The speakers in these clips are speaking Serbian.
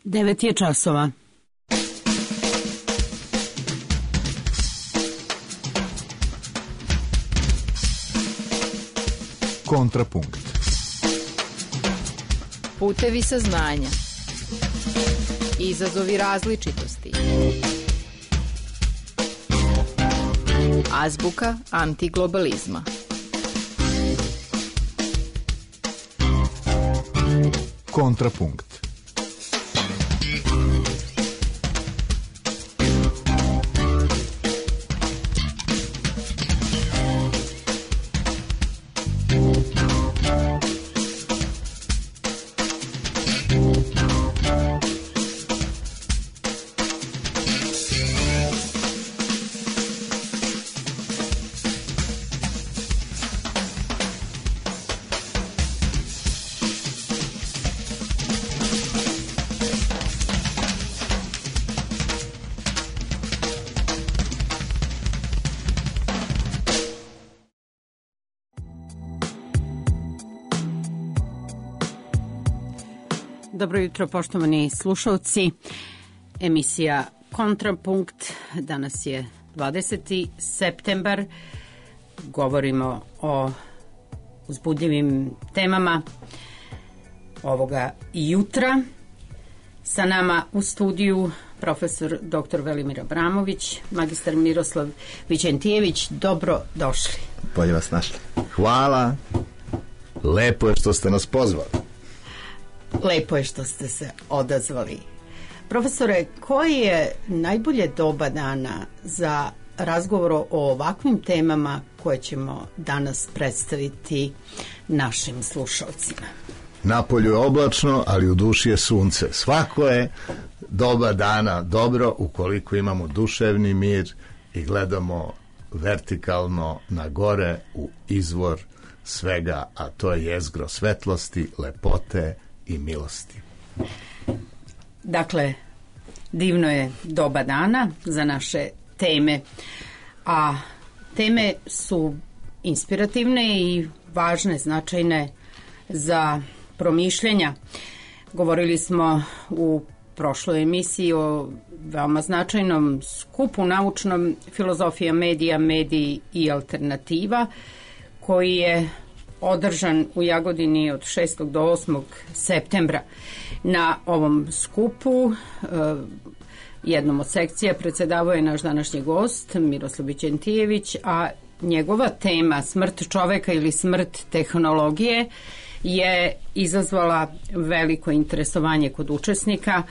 9 je časova. Kontrapunkt. Putevi saznanja. Izazovi različitosti. Azbuka antiglobalizma. Kontrapunkt. Dobro jutro, poštovani slušalci. Emisija Kontrapunkt. Danas je 20. septembar. Govorimo o uzbudljivim temama ovoga jutra. Sa nama u studiju profesor dr. Velimir Abramović, magistar Miroslav Vićentijević. Dobro došli. Bolje vas našli. Hvala. Lepo je što ste nas pozvali. Lepo je što ste se odazvali. Profesore, koje je najbolje doba dana za razgovor o ovakvim temama koje ćemo danas predstaviti našim slušalcima? Napolju je oblačno, ali u duši je sunce. Svako je doba dana dobro ukoliko imamo duševni mir i gledamo vertikalno na gore u izvor svega, a to je jezgro svetlosti, lepote i milosti. Dakle, divno je doba dana za naše teme, a teme su inspirativne i važne, značajne za promišljanja. Govorili smo u prošloj emisiji o veoma značajnom skupu naučnom Filozofija medija, mediji i alternativa, koji je održan u Jagodini od 6. do 8. septembra. Na ovom skupu jednom od sekcija predsedavao je naš današnji gost Miroslav Vićentijević, a njegova tema smrt čoveka ili smrt tehnologije je izazvala veliko interesovanje kod učesnika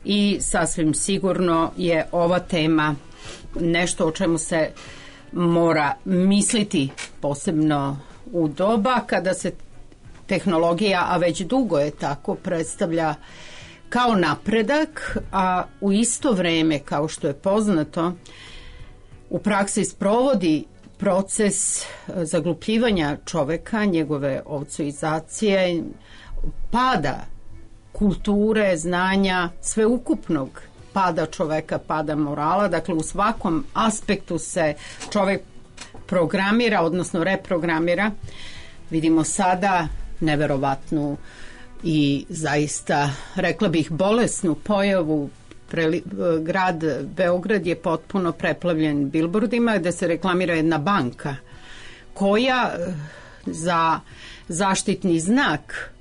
i sasvim sigurno je ova tema nešto o čemu se mora misliti, posebno u doba kada se tehnologija, a već dugo je tako, predstavlja kao napredak, a u isto vreme, kao što je poznato, u praksi sprovodi proces zaglupljivanja čoveka, njegove ovcoizacije, pada kulture, znanja, sveukupnog pada čoveka, pada morala. Dakle, u svakom aspektu se čovek programira, odnosno reprogramira. Vidimo sada neverovatnu i zaista, rekla bih, bolesnu pojavu. Grad Beograd je potpuno preplavljen bilbordima gde se reklamira jedna banka koja za zaštitni znak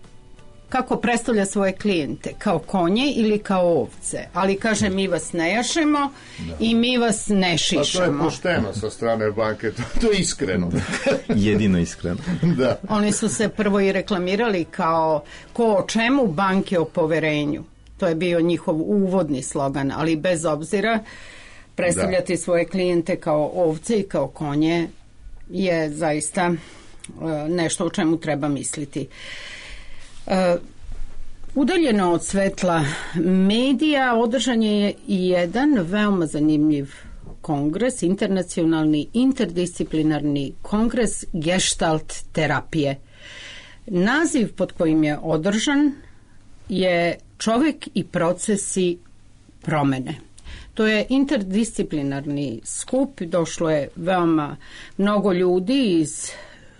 kako predstavlja svoje klijente, kao konje ili kao ovce, ali kaže mi vas ne jašemo i mi vas ne šišamo. A to je pošteno sa strane banke, to je iskreno. Jedino iskreno. Da. Oni su se prvo i reklamirali kao ko o čemu, banke o poverenju. To je bio njihov uvodni slogan, ali bez obzira predstavljati svoje klijente kao ovce i kao konje je zaista nešto o čemu treba misliti. Udaljeno od svetla medija održan je i jedan veoma zanimljiv kongres, internacionalni interdisciplinarni kongres gestalt terapije. Naziv pod kojim je održan je Čovek i procesi promene. To je interdisciplinarni skup, došlo je veoma mnogo ljudi iz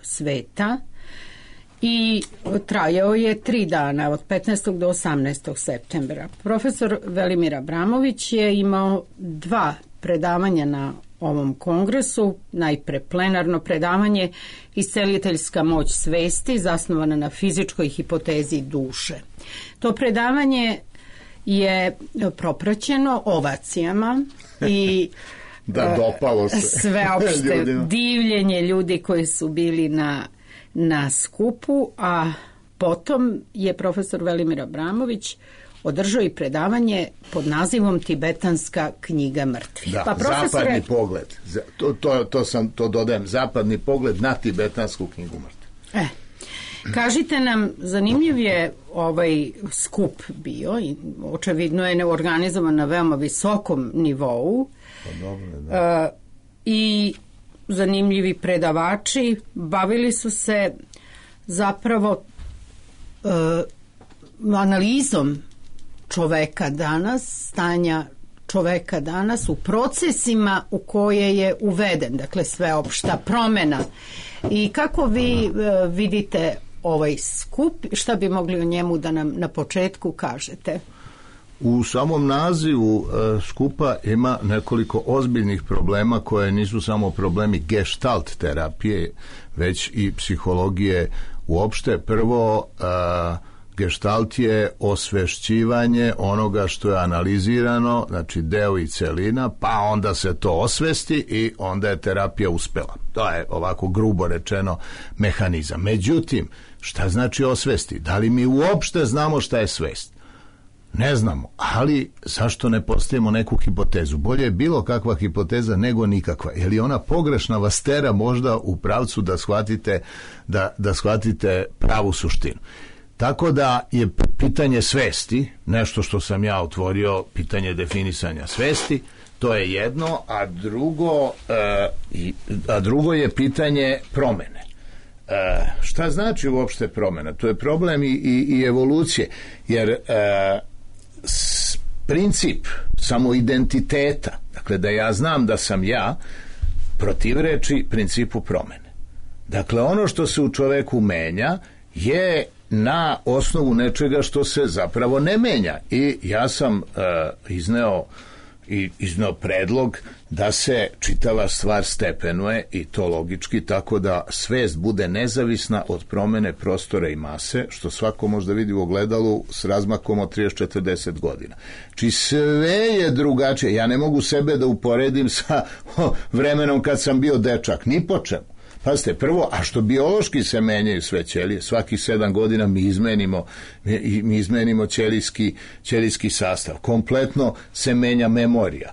sveta i trajao je 3 dana, od 15. do 18. septembra. Profesor Velimir Abramović je imao 2 predavanja na ovom kongresu, najpre plenarno predavanje Isceliteljska moć svesti, zasnovana na fizičkoj hipotezi duše. To predavanje je propraćeno ovacijama i dopalo se sveopšte divljenje ljudi koji su bili na skupu, a potom je profesor Velimir Abramović održao i predavanje pod nazivom Tibetanska knjiga mrtvih. Da, zapadni pogled. To dodajem, zapadni pogled na Tibetansku knjigu mrtvih. Kažite nam, zanimljiv je ovaj skup bio i očevidno je organizovan na veoma visokom nivou. Pa dobro, da. I zanimljivi predavači bavili su se zapravo analizom čoveka danas, stanja čoveka danas u procesima u koje je uveden, dakle sveopšta promena. I kako vi vidite ovaj skup, šta bi mogli o njemu da nam na početku kažete? U samom nazivu skupa ima nekoliko ozbiljnih problema koje nisu samo problemi gestalt terapije, već i psihologije uopšte. Prvo, gestalt je osvešćivanje onoga što je analizirano, znači deo i celina, pa onda se to osvesti i onda je terapija uspela. To je ovako grubo rečeno mehanizam. Međutim, šta znači osvesti? Da li mi uopšte znamo šta je svest? Ne znamo, ali zašto ne postavimo neku hipotezu? Bolje je bilo kakva hipoteza nego nikakva. Je li ona pogrešna vas tera možda u pravcu da shvatite pravu suštinu? Tako da je pitanje svesti, nešto što sam ja otvorio, pitanje definisanja svesti, to je jedno, a drugo je pitanje promene. Šta znači uopšte promena? To je problem i evolucije, jer princip samoidentiteta, dakle da ja znam da sam ja, protivreči principu promene. Dakle, ono što se u čoveku menja je na osnovu nečega što se zapravo ne menja. I ja sam izneo predlog da se čitava stvar stepenuje i to logički, tako da svest bude nezavisna od promene prostora i mase, što svako može da vidi u ogledalu s razmakom od 30-40 godina. Či sve je drugačije. Ja ne mogu sebe da uporedim sa vremenom kad sam bio dečak, ni po čemu. Pazite, prvo, a što biološki se menjaju sve ćelije, svakih 7 godina mi izmenimo ćelijski sastav, kompletno se menja memorija,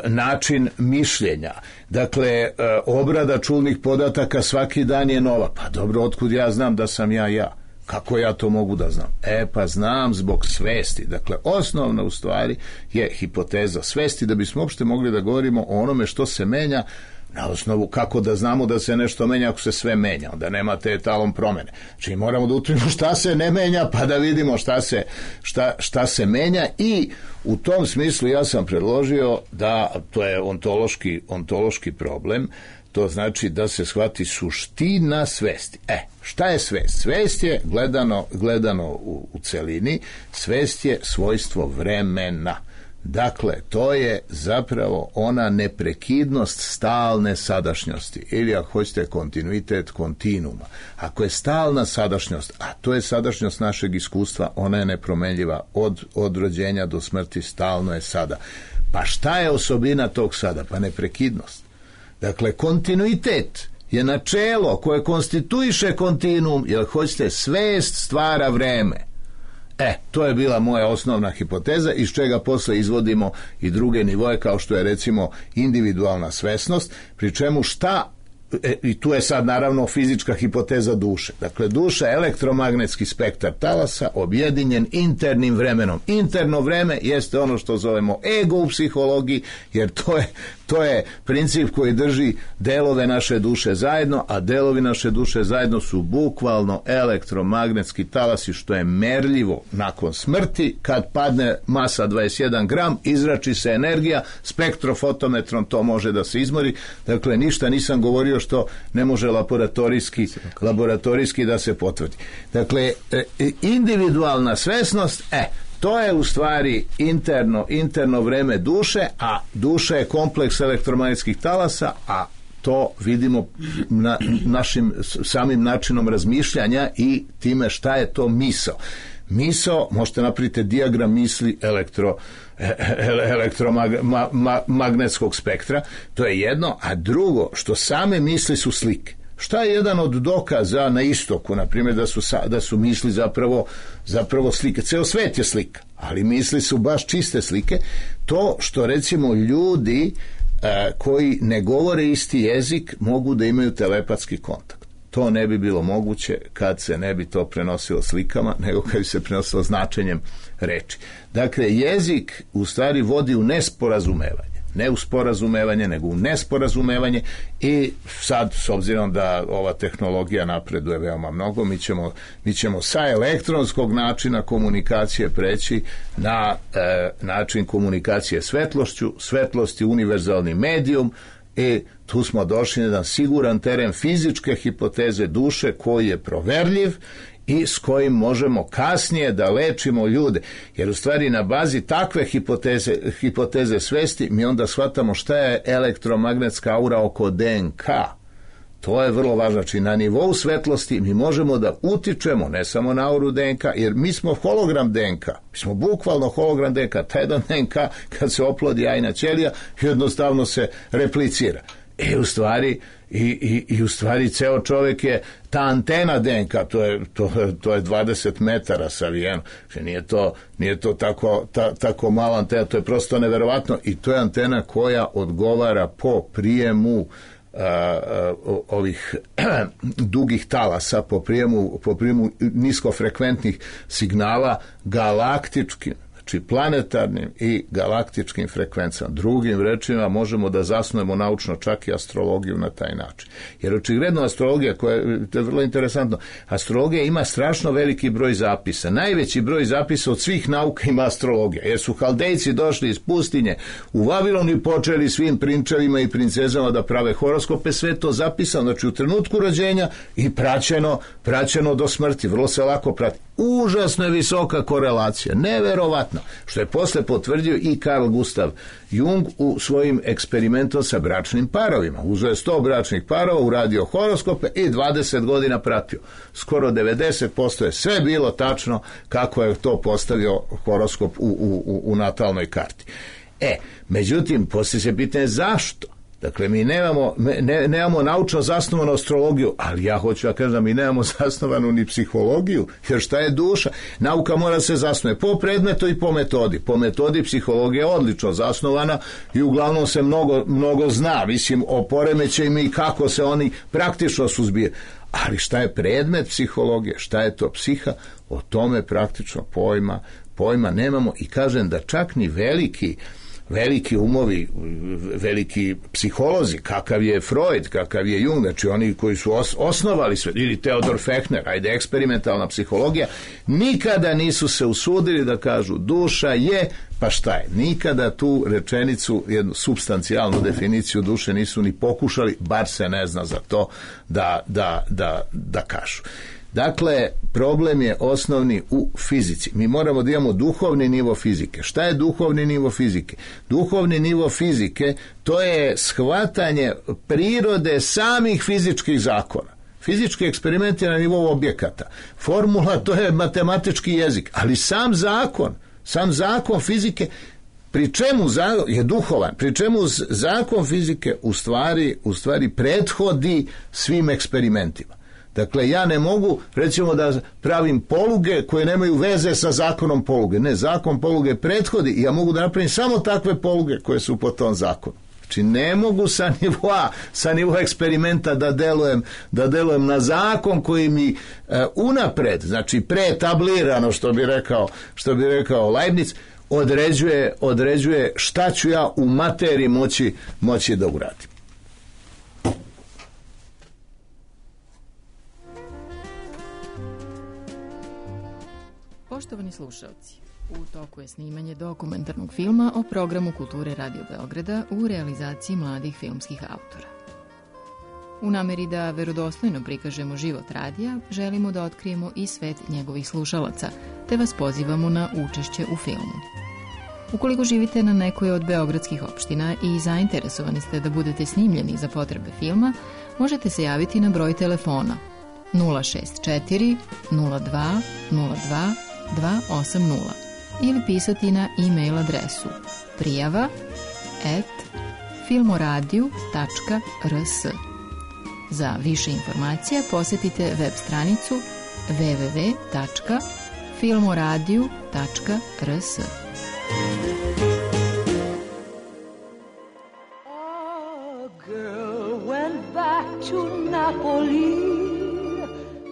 način mišljenja, dakle, obrada čulnih podataka svaki dan je nova. Pa dobro, otkud ja znam da sam ja? Kako ja to mogu da znam? Pa znam zbog svesti. Dakle, osnovna u stvari je hipoteza svesti, da bismo uopšte mogli da govorimo o onome što se menja. Na osnovu kako da znamo da se nešto menja ako se sve menja, onda nema te etalon promene. Znači moramo da utvrdimo šta se ne menja pa da vidimo šta se menja, i u tom smislu ja sam predložio da to je ontološki problem. To znači da se shvati suština svesti. Šta je svest? Svest je gledano u celini, svest je svojstvo vremena. Dakle, to je zapravo ona neprekidnost stalne sadašnjosti, ili ako hoćete kontinuitet kontinuuma. Ako je stalna sadašnjost, a to je sadašnjost našeg iskustva, ona je nepromenljiva od rođenja do smrti, stalno je sada. Pa šta je osobina tog sada? Pa neprekidnost. Dakle, kontinuitet je načelo koje konstituiše kontinuum, jer hoćete, svest stvara vreme. To je bila moja osnovna hipoteza, iz čega posle izvodimo i druge nivoje, kao što je recimo individualna svesnost, pri čemu i tu je sad naravno fizička hipoteza duše. Dakle, duša je elektromagnetski spektar talasa objedinjen internim vremenom. Interno vreme jeste ono što zovemo ego u psihologiji, jer To je princip koji drži delove naše duše zajedno, a delovi naše duše zajedno su bukvalno elektromagnetski talasi, što je merljivo nakon smrti. Kad padne masa 21 gram, izrači se energija, spektrofotometrom to može da se izmori. Dakle, ništa nisam govorio što ne može laboratorijski da se potvrdi. Dakle, individualna svesnost, to je u stvari interno vreme duše, a duša je kompleks elektromagnetskih talasa, a to vidimo našim samim načinom razmišljanja i time šta je to misao. Misao, možete napraviti dijagram misli elektromagnetskog spektra, to je jedno, a drugo, što same misli su slike. Šta je jedan od dokaza na istoku, na primjer, da su misli zapravo slike? Ceo svet je slika, ali misli su baš čiste slike. To što, recimo, ljudi koji ne govore isti jezik mogu da imaju telepatski kontakt. To ne bi bilo moguće kad se ne bi to prenosilo slikama, nego kad bi se prenosilo značenjem reči. Dakle, jezik u stvari vodi u nesporazumevanje. Ne u sporazumevanje, nego u nesporazumevanje, i sad, s obzirom da ova tehnologija napreduje veoma mnogo, mi ćemo sa elektronskog načina komunikacije preći na način komunikacije svetlošću. Svetlost je univerzalni medijum, i tu smo došli na jedan siguran teren fizičke hipoteze duše koji je proverljiv i s kojim možemo kasnije da lečimo ljude. Jer u stvari na bazi takve hipoteze svesti mi onda shvatamo šta je elektromagnetska aura oko DNK. To je vrlo važno. Znači, na nivou svetlosti mi možemo da utičemo ne samo na auru DNK, jer mi smo hologram DNK. Mi smo bukvalno hologram DNK. Taj jedan DNK, kad se oplodi jajna ćelija, jednostavno se replicira. I u stvari ceo čovjek je ta antena DNK, to je 20 metara savijeno. Nije to tako mala antena, to je prosto neverovatno, i to je antena koja odgovara po prijemu ovih dugih talasa, po prijemu niskofrekventnih signala galaktičkim, znači planetarnim i galaktičkim frekvencama. Drugim rečima, možemo da zasnujemo naučno čak i astrologiju na taj način. Jer očigledno astrologija, to je vrlo interesantno, astrologija ima strašno veliki broj zapisa. Najveći broj zapisa od svih nauka ima astrologija, jer su Haldejci došli iz pustinje u Vavilon i počeli svim prinčevima i princezama da prave horoskope, sve to zapisano, znači u trenutku rođenja i praćeno do smrti, vrlo se lako prati. Užasno je visoka korelacija, neverovatno, što je posle potvrdio i Carl Gustav Jung u svojim eksperimentom sa bračnim parovima. Uzeo je 100 bračnih parova, uradio horoskope i 20 godina pratio. Skoro 90% je sve bilo tačno kako je to postavio horoskop u natalnoj karti. Međutim, poslije se pitanje zašto? Dakle, mi nemamo naučno zasnovanu astrologiju, ali ja hoću da kažem da mi nemamo zasnovanu ni psihologiju, jer šta je duša? Nauka mora se zasnuje po predmetu i po metodi. Po metodi psihologija je odlično zasnovana i uglavnom se mnogo zna, mislim, o poremećajima i kako se oni praktično suzbijaju. Ali šta je predmet psihologije, šta je to psiha, o tome praktično pojma nemamo, i kažem da čak ni veliki umovi, veliki psiholozi, kakav je Freud, kakav je Jung, znači oni koji su osnovali sve, ili Theodor Fechner, eksperimentalna psihologija, nikada nisu se usudili da kažu duša je, pa šta je? Nikada tu rečenicu, jednu supstancijalnu definiciju duše nisu ni pokušali, bar se ne zna za to da kažu. Dakle, problem je osnovni u fizici. Mi moramo da imamo duhovni nivo fizike. Šta je duhovni nivo fizike? Duhovni nivo fizike, to je shvatanje prirode samih fizičkih zakona. Fizički eksperiment je na nivou objekata. Formula, to je matematički jezik. Ali sam zakon fizike, pri čemu je duhovan, pri čemu zakon fizike u stvari prethodi svim eksperimentima. Dakle, ja ne mogu, recimo, da pravim poluge koje nemaju veze sa zakonom poluge. Ne, zakon poluge prethodi i ja mogu da napravim samo takve poluge koje su po tom zakonu. Znači, ne mogu sa nivoa eksperimenta da delujem na zakon koji mi unapred, znači preetablirano, što bi rekao Leibniz, određuje šta ću ja u materiji moći da uradim. Poštovani slušalci, u toku je snimanje dokumentarnog filma o programu Kulture Radio Beograda u realizaciji mladih filmskih autora. U nameri da verodostojno prikažemo život radija, želimo da otkrijemo i svet njegovih slušalaca, te vas pozivamo na učešće u filmu. Ukoliko živite na nekoj od beogradskih opština i zainteresovani ste da budete snimljeni za potrebe filma, možete se javiti na broj telefona 064 02 02 280 ili pisati na e-mail adresu prijava@filmoradio.rs. Za više informacija posjetite web stranicu www.filmoradio.rs. A girl went back to Napoli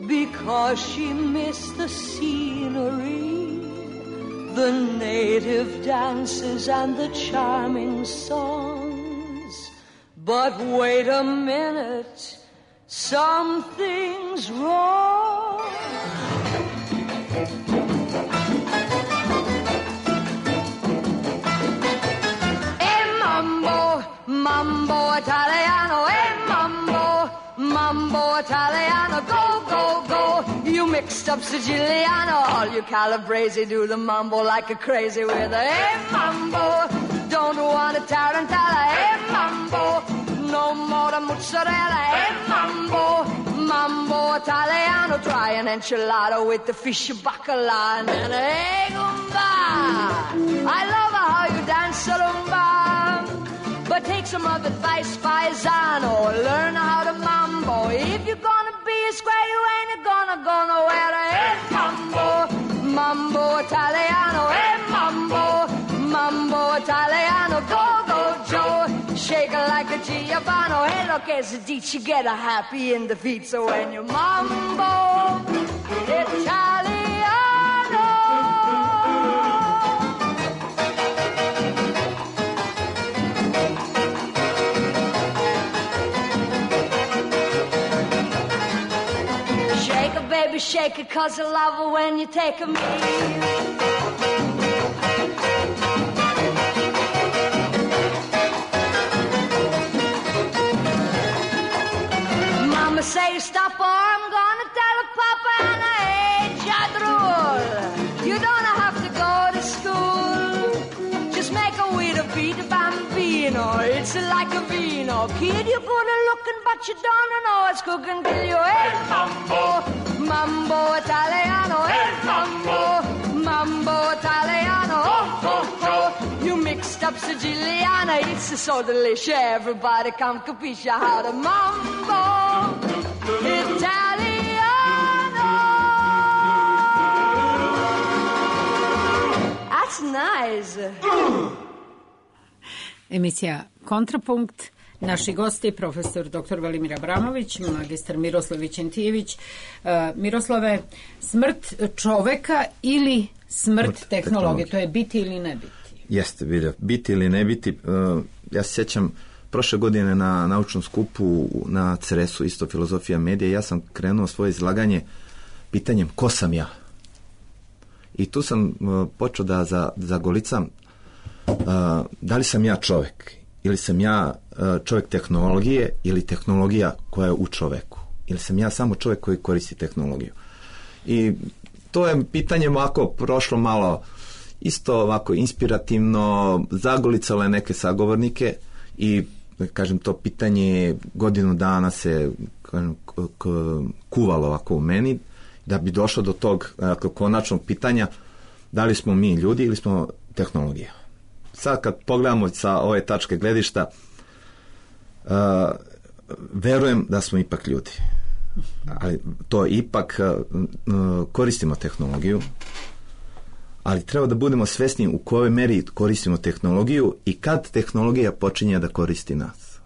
because she missed the scenery, the native dances and the charming songs. But wait a minute, something's wrong. Mambo Italiano, mambo Italiano, go, go, go. You mixed up Siciliano, all you Calabrese do the mambo like a crazy with a mambo. Don't want a tarantella, mambo. No more the mozzarella, mambo Italiano. Try an enchilada with the fish bacala and an gumba. I love how you dance rumba. But take some of advice, paisano. Learn how to mambo. If you're gonna be a square, you ain't gonna go nowhere. Hey, mambo Italiano. Hey, mambo Italiano. Go, go, Joe. Shake it like a Giovanni. Hey, look, as a ditch, you get a happy in the feet. So when you mambo Italiano. Baby, shake it, 'cause I love it when you take a meal. Mama say stop or I'm gonna tell Papa and I ain't jadrul. You don't have to go to school. Just make a way to beat a bambino. It's like a vino. Kid, you're good at looking, but you don't know it's cooking till you ain't mambo Italiano, mambo Italiano, you mixed up Siciliana, it's so delicious, everybody come capisce how to mambo Italiano. That's nice. Emisija Kontrapunkt. Naši gosti, profesor dr. Velimir Abramović, magistar Miroslav Vićentijević. Miroslave, smrt čoveka ili smrt tehnologije, to je biti ili ne biti? Jeste, biti ili ne biti. Ja se sjećam prošle godine na naučnom skupu na CRS-u, isto filozofija medija, ja sam krenuo svoje izlaganje pitanjem ko sam ja. I tu sam počeo da zagolicam da li sam ja čovek ili sam ja čovjek tehnologije ili tehnologija koja je u čoveku. Ili sam ja samo čovjek koji koristi tehnologiju. I to je pitanje ovako prošlo malo isto ovako inspirativno, zagolicalo je neke sagovornike i kažem to pitanje godinu dana se kuvalo ovako u meni da bi došlo do tog konačnog pitanja da li smo mi ljudi ili smo tehnologija. Sad kad pogledamo sa ove tačke gledišta, verujem da smo ipak ljudi. Ali to ipak koristimo tehnologiju, ali treba da budemo svesni u kojoj meri koristimo tehnologiju i kad tehnologija počinje da koristi nas.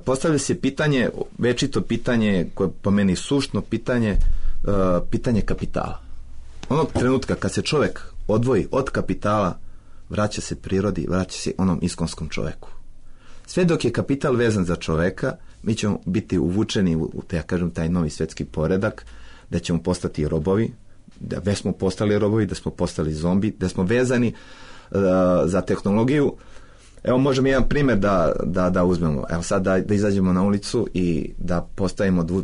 Postavlja se pitanje, večito pitanje, koje po meni suštno pitanje, pitanje kapitala. Onog trenutka kad se čovjek odvoji od kapitala, vraća se prirodi, vraća se onom iskonskom čoveku. Sve dok je kapital vezan za čoveka, mi ćemo biti uvučeni u taj novi svetski poredak, da ćemo postati robovi, da već smo postali robovi, da smo postali zombi, da smo vezani za tehnologiju. Evo, možemo jedan primjer da uzmemo. Evo sad da izađemo na ulicu i da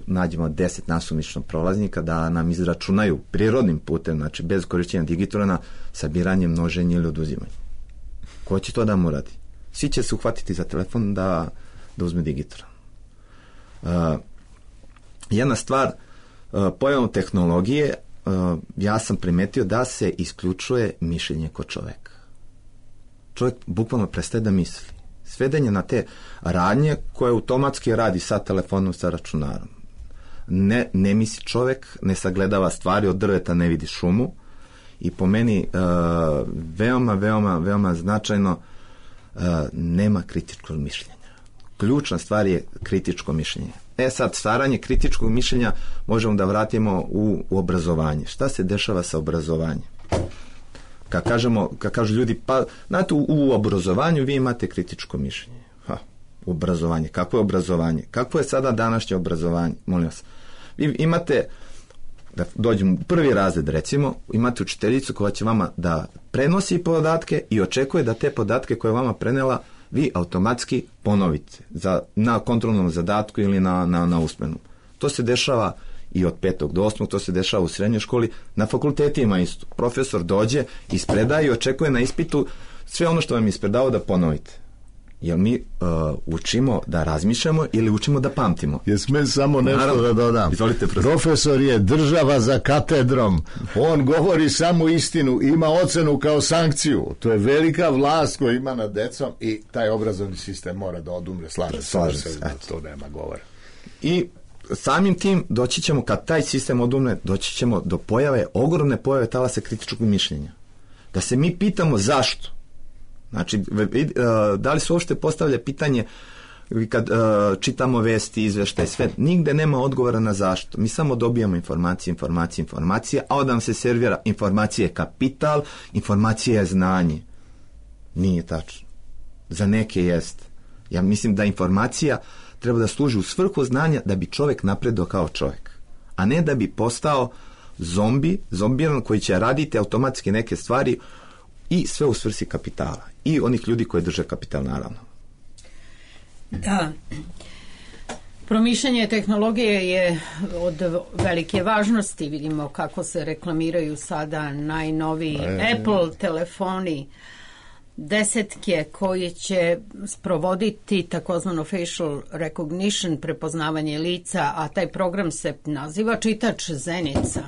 nađemo 10 nasumično prolaznika, da nam izračunaju prirodnim putem, znači bez korištenja digitrona, sabiranje, množenje ili oduzimanje. Ko će to da mu radi? Svi će se uhvatiti za telefon da uzme digitron. Jedna stvar, pojavom tehnologije, ja sam primetio da se isključuje mišljenje kod čoveka. Čovjek bukvalno prestaje da misli. Sveden je na te radnje koje automatski radi sa telefonom, sa računarom. Ne misli čovjek, ne sagledava stvari, od drveta ne vidi šumu i po meni veoma značajno nema kritičkog mišljenja. Ključna stvar je kritičko mišljenje. Sad, stvaranje kritičkog mišljenja možemo da vratimo u obrazovanje. Šta se dešava sa obrazovanjem? Kad kažu ljudi, pa znate, u obrazovanju vi imate kritičko mišljenje. Obrazovanje. Kako je obrazovanje? Kako je sada današnje obrazovanje? Molim vas. Vi imate, da dođemo u prvi razred, recimo, imate učiteljicu koja će vama da prenosi podatke i očekuje da te podatke koje je vama prenela vi automatski ponovite na kontrolnom zadatku ili na usmenom. To se dešava i od 5. do 8. to se dešava u srednjoj školi, na fakultetima isto. Profesor dođe, ispredaje i očekuje na ispitu sve ono što vam je ispredao da ponovite. Jel mi učimo da razmišljamo ili učimo da pamtimo? Jesme samo nešto da dodam. Izvolite, profesor je država za katedrom. On govori samo istinu, ima ocenu kao sankciju. To je velika vlast koju ima nad decom i taj obrazovni sistem mora da odumre. Slažem se, to nema govora. I samim tim doći ćemo, kad taj sistem odumre, doći ćemo do ogromne pojave talasa kritičkog mišljenja. Da se mi pitamo zašto. Znači, da li se uopšte postavlja pitanje kad čitamo vesti, izveštaje, sve, nigde nema odgovora na zašto. Mi samo dobijamo informacije, a onda nam se servira informacije je kapital, informacija je znanje. Nije tačno. Za neke jest. Ja mislim da informacija treba da služi u svrhu znanja da bi čovjek napredao kao čovjek, a ne da bi postao zombiran koji će raditi automatski neke stvari i sve u svrsi kapitala i onih ljudi koji drže kapital, naravno. Da. Promišljanje tehnologije je od velike važnosti. Vidimo kako se reklamiraju sada najnoviji Apple telefoni, desetke koji će sprovoditi takozvano facial recognition, prepoznavanje lica, a taj program se naziva čitač zenica.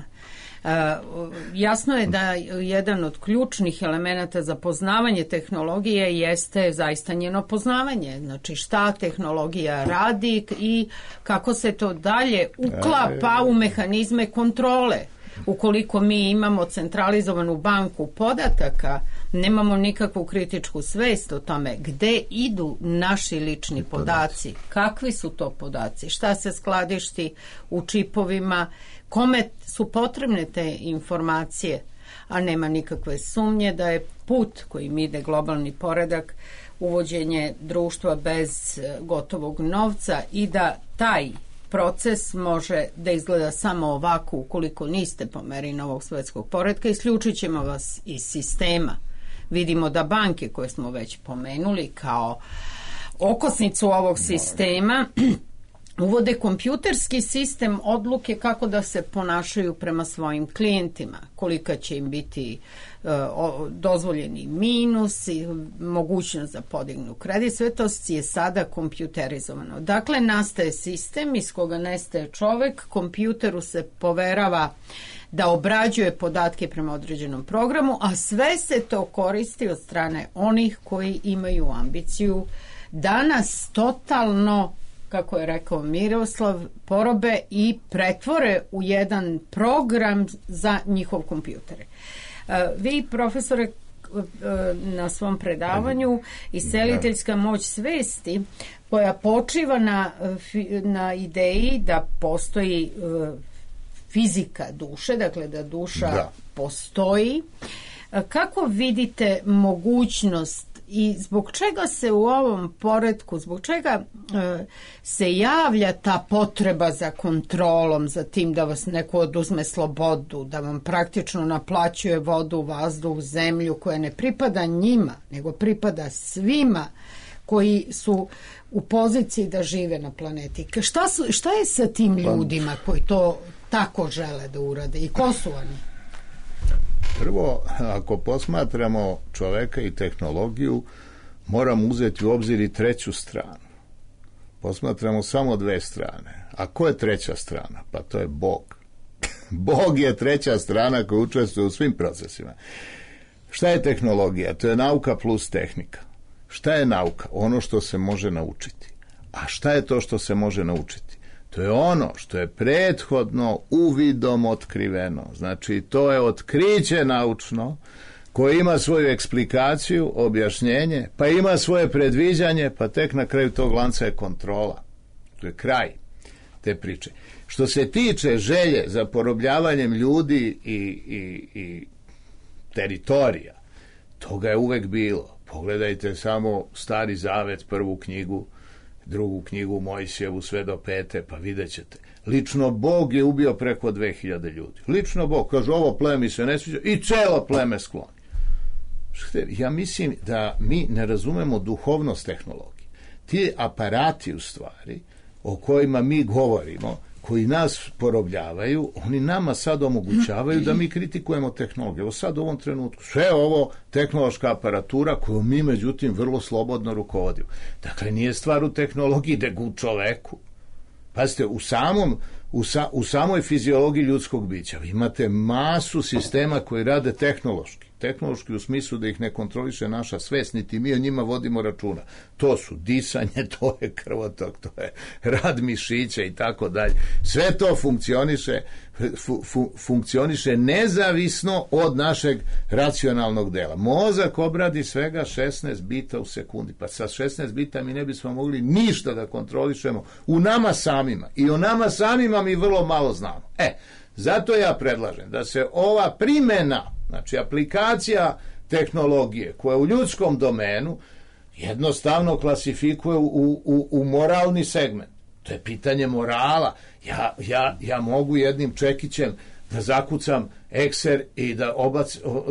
Jasno je da jedan od ključnih elemenata za poznavanje tehnologije jeste zaista njeno poznavanje. Znači šta tehnologija radi i kako se to dalje uklapa u mehanizme kontrole. Ukoliko mi imamo centralizovanu banku podataka, nemamo nikakvu kritičku svest o tome gde idu naši lični podaci, kakvi su to podaci, šta se skladišti u čipovima, kome su potrebne te informacije, a nema nikakve sumnje da je put kojim ide globalni poredak uvođenje društva bez gotovog novca i da taj proces može da izgleda samo ovako ukoliko niste po meri novog svetskog poretka, isključit ćemo vas iz sistema. Vidimo da banke koje smo već pomenuli kao okosnicu ovog sistema uvode kompjuterski sistem odluke kako da se ponašaju prema svojim klijentima, kolika će im biti dozvoljeni minus i mogućnost da podignu kredit, sve to je sada kompjuterizovano. Dakle, nastaje sistem iz koga nestaje čovek, kompjuteru se poverava da obrađuje podatke prema određenom programu, a sve se to koristi od strane onih koji imaju ambiciju da nas totalno, kako je rekao Miroslav, porobe i pretvore u jedan program za njihov kompjutere. Vi, profesore, na svom predavanju Isceliteljska moć svesti, koja počiva na ideji da postoji fizika duše, dakle da duša postoji, kako vidite mogućnost i zbog čega se u ovom poretku, zbog čega se javlja ta potreba za kontrolom, za tim da vas neko oduzme slobodu, da vam praktično naplaćuje vodu, vazduh, zemlju koja ne pripada njima, nego pripada svima koji su u poziciji da žive na planeti. Šta je sa tim ljudima koji to tako žele da urade i ko su oni? Prvo, ako posmatramo čoveka i tehnologiju, moramo uzeti u obzir i treću stranu. Posmatramo samo dve strane. A ko je treća strana? Pa to je Bog. Bog je treća strana koja učestvuje u svim procesima. Šta je tehnologija? To je nauka plus tehnika. Šta je nauka? Ono što se može naučiti. A šta je to što se može naučiti? To je ono što je prethodno uvidom otkriveno. Znači, to je otkriće naučno koje ima svoju eksplikaciju, objašnjenje, pa ima svoje predviđanje, pa tek na kraju tog lanca je kontrola. To je kraj te priče. Što se tiče želje za porobljavanjem ljudi i teritorija, toga je uvek bilo. Pogledajte samo Stari Zavet, prvu knjigu, drugu knjigu Mojsijevu, sve do 5. pa vidjet ćete. Lično Bog je ubio preko 2000 ljudi. Lično Bog, kaže, ovo pleme se ne sviđa i celo pleme skloni. Ja mislim da mi ne razumemo duhovnost tehnologije. Ti aparati, u stvari, o kojima mi govorimo, koji nas porobljavaju, oni nama sad omogućavaju da mi kritikujemo tehnologiju. Evo sad u ovom trenutku, sve ovo tehnološka aparatura koju mi, međutim, vrlo slobodno rukovodimo. Dakle, nije stvar u tehnologiji, nego u čoveku. Pazite, u samoj fiziologiji ljudskog bića vi imate masu sistema koji rade tehnološki. Tehnološki u smislu da ih ne kontroliše naša svest, niti mi o njima vodimo računa. To su disanje, to je krvotok, to je rad mišića i tako dalje. Sve to funkcioniše nezavisno od našeg racionalnog dela. Mozak obradi svega 16 bita u sekundi. Pa sa 16 bita mi ne bismo mogli ništa da kontrolišemo u nama samima. I o nama samima mi vrlo malo znamo. Zato ja predlažem da se ova primjena, znači aplikacija tehnologije koja u ljudskom domenu jednostavno klasifikuje u moralni segment. To je pitanje morala. Ja mogu jednim čekićem da zakucam ekser i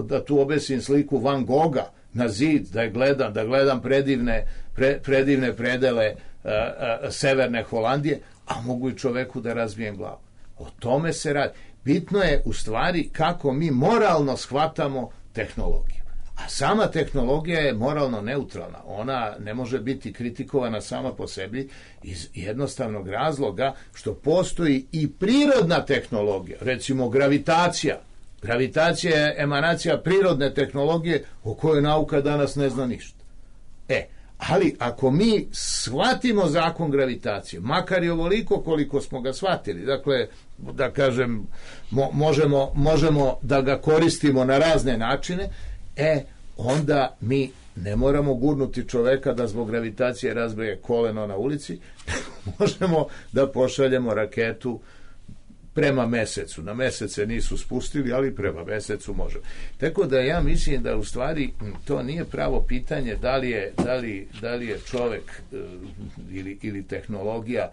da tu obesim sliku Van Gogha na zid, da gledam predivne predele severne Holandije, a mogu i čoveku da razbijem glavu. O tome se radi. Bitno je u stvari kako mi moralno shvatamo tehnologiju. A sama tehnologija je moralno neutralna. Ona ne može biti kritikovana sama po sebi iz jednostavnog razloga što postoji i prirodna tehnologija. Recimo gravitacija. Gravitacija je emanacija prirodne tehnologije o kojoj nauka danas ne zna ništa. Ali ako mi shvatimo zakon gravitacije, makar i ovoliko koliko smo ga shvatili, dakle, da kažem, možemo da ga koristimo na razne načine, onda mi ne moramo gurnuti čoveka da zbog gravitacije razbije koleno na ulici, možemo da pošaljemo raketu prema mesecu. Na mesece nisu spustili, ali prema mesecu možemo. Tako da ja mislim da u stvari to nije pravo pitanje da li je čovek ili tehnologija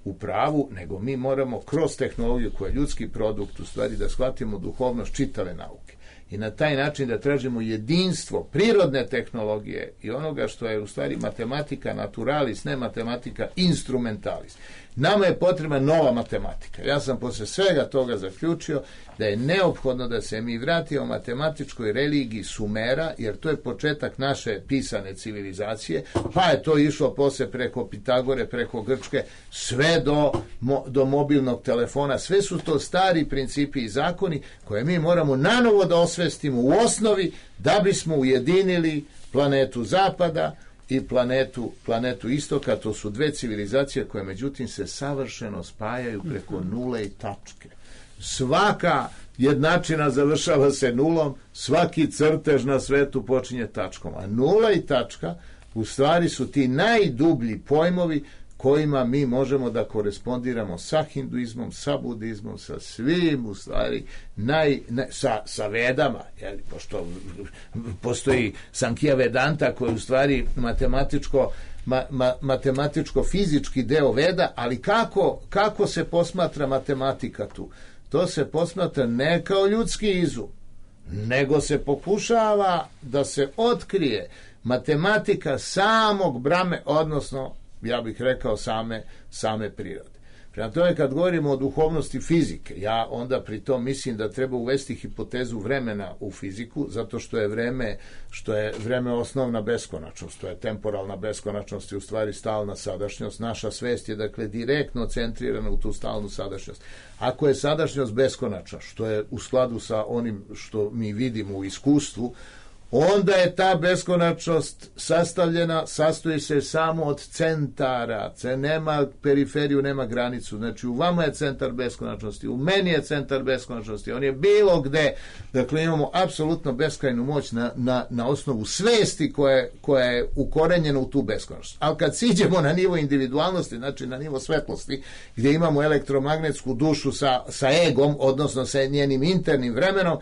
u pravu, nego mi moramo kroz tehnologiju koja je ljudski produkt u stvari da shvatimo duhovnost čitave nauke. I na taj način da tražimo jedinstvo prirodne tehnologije i onoga što je u stvari matematika naturalis, ne matematika instrumentalis. Nama je potrebna nova matematika. Ja sam posle svega toga zaključio da je neophodno da se mi vratimo matematičkoj religiji Sumera, jer to je početak naše pisane civilizacije, pa je to išlo posle preko Pitagore, preko Grčke, sve do mobilnog telefona. Sve su to stari principi i zakoni koje mi moramo nanovo da osvestimo u osnovi da bismo ujedinili planetu Zapada i planetu Istoka. To su dve civilizacije koje međutim se savršeno spajaju preko nule i tačke. Svaka jednačina završava se nulom, svaki crtež na svetu počinje tačkom, a nula i tačka u stvari su ti najdublji pojmovi kojima mi možemo da korespondiramo sa hinduizmom, sa budizmom, sa svim, u stvari, sa vedama, jel, pošto postoji Sankhya Vedanta koji u stvari matematičko-fizički deo veda, ali kako se posmatra matematika tu? To se posmatra ne kao ljudski izum, nego se pokušava da se otkrije matematika samog Brahme, odnosno, ja bih rekao, same prirode. Prema tome, kad govorimo o duhovnosti fizike, ja onda pri tom mislim da treba uvesti hipotezu vremena u fiziku, zato što je vreme osnovna beskonačnost, to je temporalna beskonačnost i u stvari stalna sadašnjost. Naša svest je, dakle, direktno centrirana u tu stalnu sadašnjost. Ako je sadašnjost beskonačna, što je u skladu sa onim što mi vidimo u iskustvu, onda je ta beskonačnost sastoji se samo od centara, nema periferiju, nema granicu, znači u vama je centar beskonačnosti, u meni je centar beskonačnosti, on je bilo gde, dakle imamo apsolutno beskrajnu moć na osnovu svesti koja je ukorenjena u tu beskonačnost. Ali kad siđemo na nivo individualnosti, znači na nivo svetlosti, gdje imamo elektromagnetsku dušu sa egom, odnosno sa njenim internim vremenom,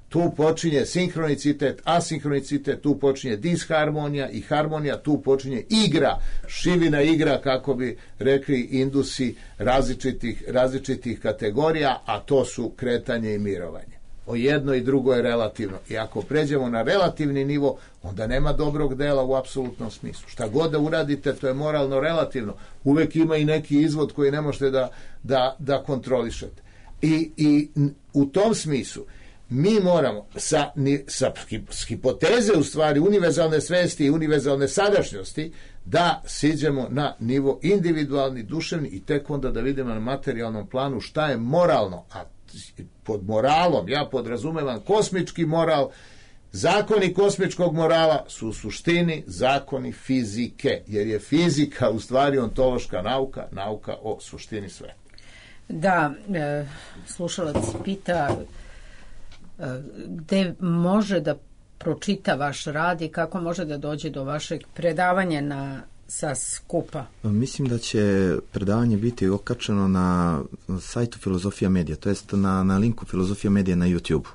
tu počinje sinhronicitet, asinhronicitet, tu počinje disharmonija i harmonija, tu počinje igra, šivina igra, kako bi rekli Indusi, različitih kategorija, a to su kretanje i mirovanje. O jedno i drugo je relativno. I ako pređemo na relativni nivo, onda nema dobrog dela u apsolutnom smislu. Šta god da uradite, to je moralno relativno. Uvek ima i neki izvod koji ne možete da kontrolišete. I u tom smislu mi moramo sa hipoteze, u stvari, univerzalne svesti i univerzalne sadašnjosti, da siđemo na nivo individualni, duševni i tek onda da vidimo na materijalnom planu šta je moralno. A pod moralom ja podrazumevam kosmički moral. Zakoni kosmičkog morala su u suštini zakoni fizike, jer je fizika u stvari ontološka nauka o suštini sveta. Da, slušalac pita gde može da pročita vaš rad i kako može da dođe do vašeg predavanja sa skupa? Mislim da će predavanje biti okačeno na sajtu Filozofija Medija, to jest na linku Filozofija Medija na YouTube.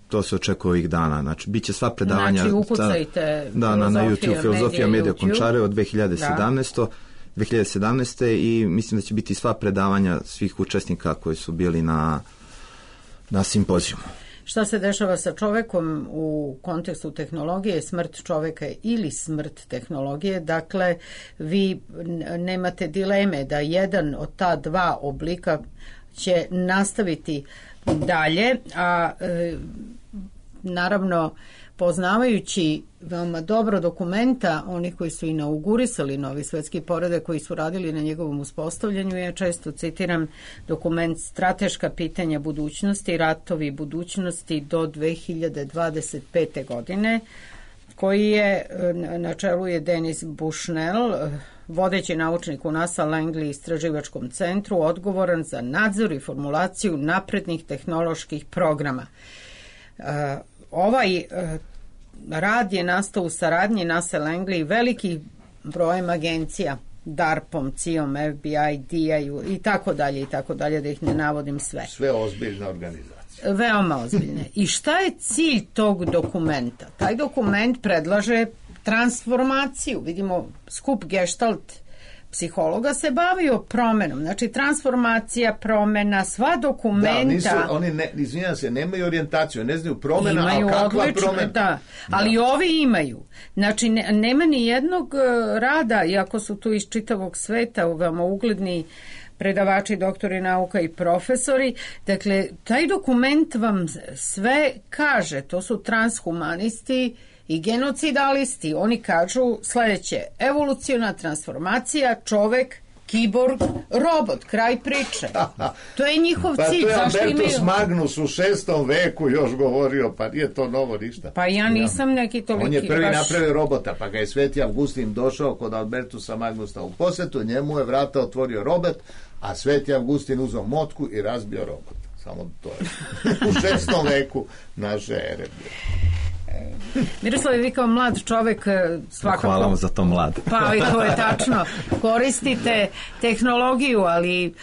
To se očekuje ovih dana. Znači, bit će sva predavanja... Znači, ukucajte na YouTube, Filozofija Medija Končarevo 2017. I mislim da će biti sva predavanja svih učesnika koji su bili na simpozijumu. Šta se dešava sa čovekom u kontekstu tehnologije, smrt čoveka ili smrt tehnologije? Dakle, vi nemate dileme da jedan od ta dva oblika će nastaviti dalje, a naravno poznavajući veoma dobro dokumenta onih koji su inaugurisali novi svetski poredak, koji su radili na njegovom uspostavljanju, ja često citiram dokument Strateška pitanja budućnosti, ratovi budućnosti do 2025. godine, koji je, na čelu je Denis Bushnell, vodeći naučnik u NASA Langley istraživačkom centru, odgovoran za nadzor i formulaciju naprednih tehnoloških programa. Ovaj rad je nastao u saradnji NASA Langley velikih brojem agencija, DARPom, CIA-om, FBI, DIA-ju i tako dalje, da ih ne navodim sve. Sve ozbiljne organizacije. Veoma ozbiljne. I šta je cilj tog dokumenta? Taj dokument predlaže transformaciju. Vidimo, skup Gestalt psihologa se bavio promenom, znači transformacija, promena, sva dokumenta. Da, oni izvinjam se, nemaju orijentaciju, ne znaju promena, ali kakva promena? Da, ali ovi imaju. Znači, nema ni jednog rada, iako su tu iz čitavog sveta, veoma ugledni predavači, doktori nauka i profesori. Dakle, taj dokument vam sve kaže, to su transhumanisti i genocidalisti. Oni kažu sledeće: evoluciona transformacija, čovek, kiborg, robot, kraj priče. To je njihov cilj. Pa to je Albertus Magnus u 6. veku još govorio, pa nije to novo ništa. Pa ja nisam neki toliki... On je prvi napravio robota, pa ga je Sveti Avgustin došao kod Albertusa Magnusa u posetu, njemu je vrata otvorio robot, a Sveti Avgustin uzeo motku i razbio robot. Samo to je u 6. veku naše ere. Miroslav, vi kao mlad čovek svakako... Hvala vam za to, mlad. Pa i to je tačno. Koristite tehnologiju, ali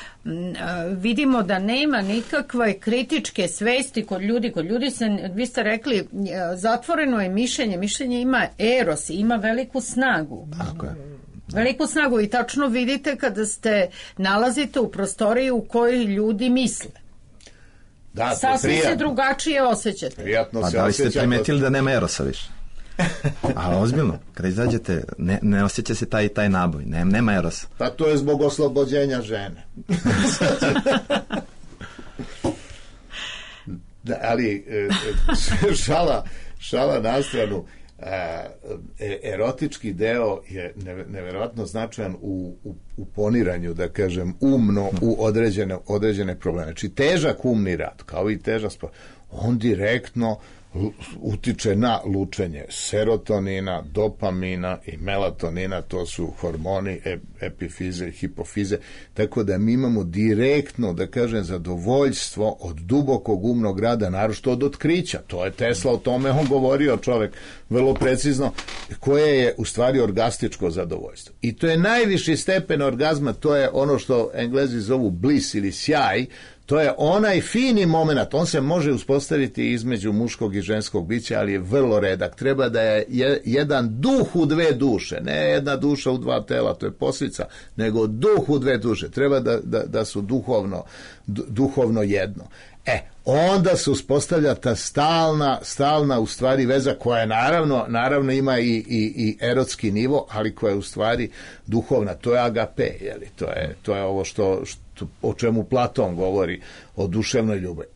vidimo da nema nikakve kritičke svesti kod ljudi. Kod ljudi se, vi ste rekli, zatvoreno je mišljenje. Mišljenje ima eros, ima veliku snagu. Tako je. Veliku snagu i tačno vidite kada ste nalazite u prostoriji u kojoj ljudi misle. Da, sasvim se drugačije osjećate. Prijatno Pa se da li ste osjeća. primetili da nema erosa više? A ozbiljno, kada izađete, ne osjeća se taj naboj, nema erosa. Pa to je zbog oslobođenja žene. Da, ali šala na stranu, erotički deo je neverovatno značajan u poniranju, da kažem, umno u određene probleme. Znači, težak umni rad, kao i težak sport, on direktno utiče na lučenje serotonina, dopamina i melatonina, to su hormoni epifize i hipofize, tako da mi imamo direktno, da kažem, zadovoljstvo od dubokog umnog rada, naročito od otkrića. To je Tesla, o tome on govorio, čovek, vrlo precizno, koje je u stvari orgastičko zadovoljstvo. I to je najviši stepen orgazma, to je ono što Englezi zovu bliss ili sjaj. To je onaj fini moment, on se može uspostaviti između muškog i ženskog bića, ali je vrlo redak. Treba da je jedan duh u dve duše, ne jedna duša u dva tela, to je posljedica, nego duh u dve duše. Treba da su duhovno jedno. Onda se uspostavlja ta stalna u stvari veza koja naravno ima i erotski nivo, ali koja je u stvari duhovna. To je agape, jeli? To je ovo o čemu Platon govori, o duševnoj ljubavi.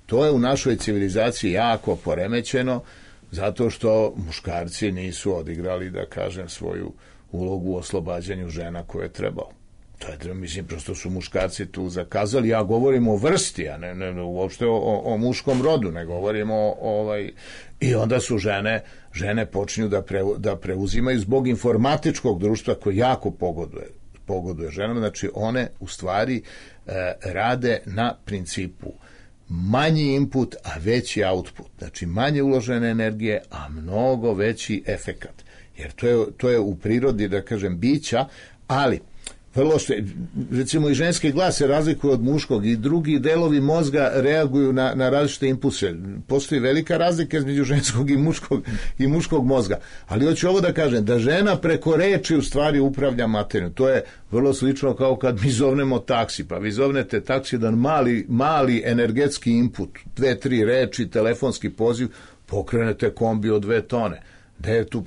To je u našoj civilizaciji jako poremećeno, zato što muškarci nisu odigrali, da kažem, svoju ulogu u oslobađanju žena koje je trebalo. To je, mislim, prosto su muškarci tu zakazali. Ja govorim o vrsti, a ne uopšte o muškom rodu, ne govorimo i onda su žene počinju da preuzimaju zbog informatičkog društva koje jako pogoduje ženama. Znači, one u stvari rade na principu manji input, a veći output. Znači, manje uložene energije, a mnogo veći efekat. Jer to je u prirodi, da kažem, bića, ali vrlo što, recimo, i ženski glas se razlikuje od muškog i drugi delovi mozga reaguju na različite impulse. Postoji velika razlika između ženskog i muškog mozga. Ali hoću ovo da kažem, da žena preko reči u stvari upravlja materijom. To je vrlo slično kao kad mi zovnemo taksi. Pa vi zovnete taksi, jedan mali energetski input, 2-3 reči, telefonski poziv, pokrenete kombi od 2 tone.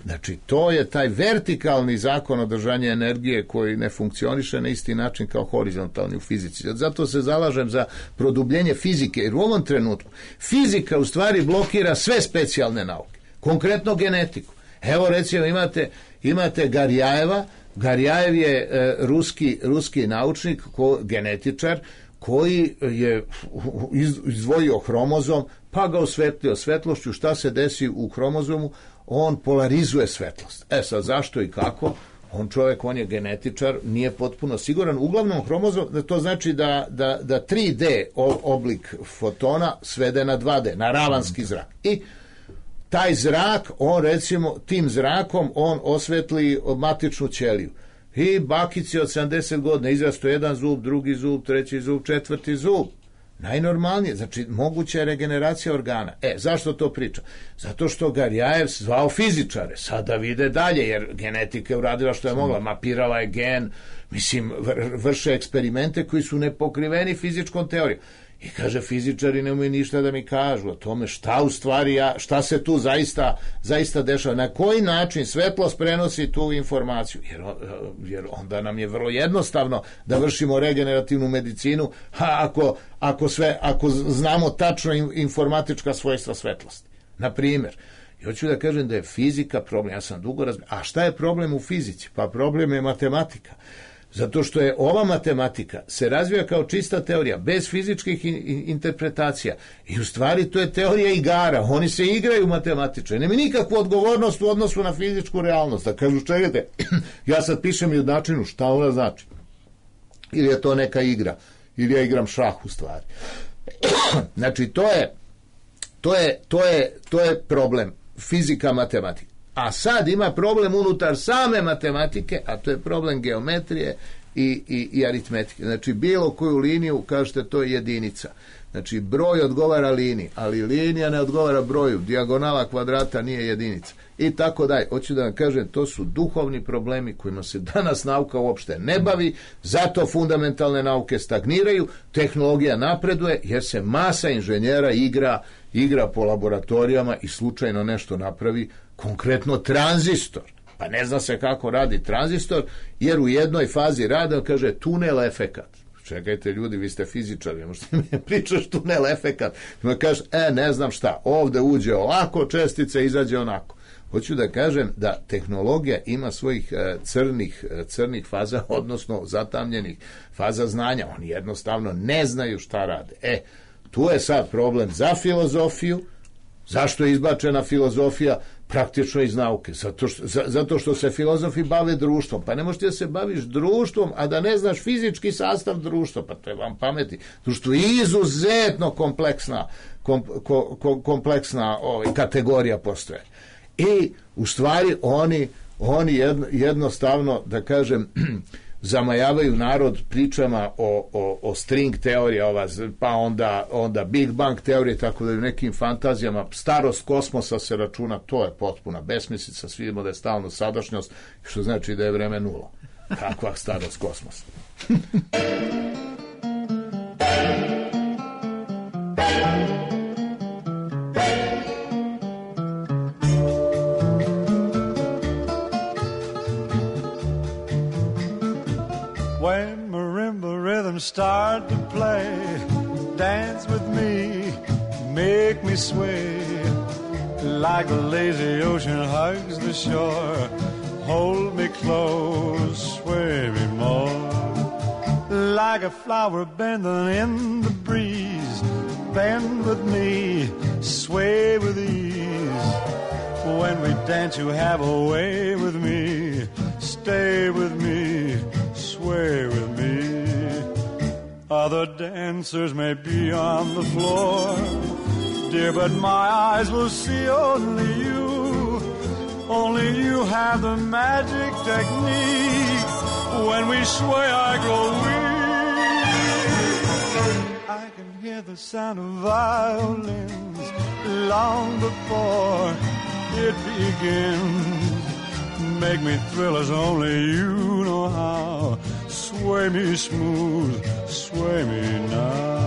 Znači, to je taj vertikalni zakon održanja energije koji ne funkcioniše na isti način kao horizontalni u fizici. Zato se zalažem za produbljenje fizike, jer u ovom trenutku fizika u stvari blokira sve specijalne nauke, konkretno genetiku. Evo, recimo, imate Garjajeva. Garjajev je ruski naučnik, genetičar, koji je izdvojio hromozom, pa ga osvetlio svetlošću. Šta se desi u hromozomu? On polarizuje svetlost. Sad, zašto i kako? On je genetičar, nije potpuno siguran. Uglavnom, hromozom, to znači da 3D oblik fotona svede na 2D, na ravanski zrak. I taj zrak, tim zrakom on osvetli matičnu ćeliju. I bakici od 70 godina izrasto jedan zub, drugi zub, treći zub, četvrti zub. Najnormalnije, znači moguća je regeneracija organa. Zašto to pričam? Zato što Garjajev zvao fizičare, sada vide dalje, jer genetika je uradila što je mogla, mapirala je gen, mislim, vrše eksperimente koji su nepokriveni fizičkom teorijom. I kaže, fizičari nemaju ništa da mi kažu o tome šta se tu zaista dešava, na koji način svetlost prenosi tu informaciju, jer onda nam je vrlo jednostavno da vršimo regenerativnu medicinu, ako znamo tačno informatička svojstva svetlosti. Na primjer, hoću da kažem da je fizika problem, ja sam dugo razmišljao, a šta je problem u fizici? Pa problem je matematika. Zato što je ova matematika se razvija kao čista teorija, bez fizičkih interpretacija. I u stvari to je teorija igara. Oni se igraju matematičari. Nema nikakvu odgovornost u odnosu na fizičku realnost. Da kažu, čekajte, ja sad pišem jednačinu, šta ona znači? Ili je to neka igra? Ili ja igram šah u stvari? Znači, to je problem. fizika, matematika. A sad ima problem unutar same matematike, a to je problem geometrije i aritmetike. Znači, bilo koju liniju, kažete, to je jedinica. Znači, broj odgovara liniji, ali linija ne odgovara broju. Dijagonala kvadrata nije jedinica. I tako dalje. Hoću da vam kažem, to su duhovni problemi kojima se danas nauka uopšte ne bavi, zato fundamentalne nauke stagniraju, tehnologija napreduje, jer se masa inženjera igra po laboratorijama i slučajno nešto napravi, konkretno tranzistor. Pa ne zna se kako radi tranzistor, jer u jednoj fazi rada kaže tunel efekat. Čekajte ljudi, vi ste fizičari, možete mi pričaš tunel efekat. Ma kaže, ne znam šta, ovde uđe ovako, čestica izađe onako. Hoću da kažem da tehnologija ima svojih crnih faza, odnosno zatamljenih faza znanja. Oni jednostavno ne znaju šta rade. Tu je sad problem za filozofiju. Zašto je izbačena filozofija? Praktično iz nauke. Zato što se filozofi bave društvom. Pa ne možete da se baviš društvom, a da ne znaš fizički sastav društva. Pa to je vam pameti. Društvo je izuzetno kompleksna kategorija postoje. I u stvari oni jednostavno, da kažem, zamajavaju narod pričama o string teorija, pa onda Big Bang teorije, tako da u nekim fantazijama starost kosmosa se računa, to je potpuna besmislica, svi vidimo da je stalno sadašnjost, što znači da je vreme nula. Kakva starost kosmosa? When marimba rhythms start to play, dance with me, make me sway, like the lazy ocean hugs the shore. Hold me close, sway me more, like a flower bending in the breeze. Bend with me, sway with ease. When we dance, you have a way with me. Stay with me, sway with me. Other dancers may be on the floor, dear, but my eyes will see only you. Only you have the magic technique. When we sway, I grow weak. I can hear the sound of violins long before it begins. Make me thrill as only you know how. Sway me smooth, sway me now.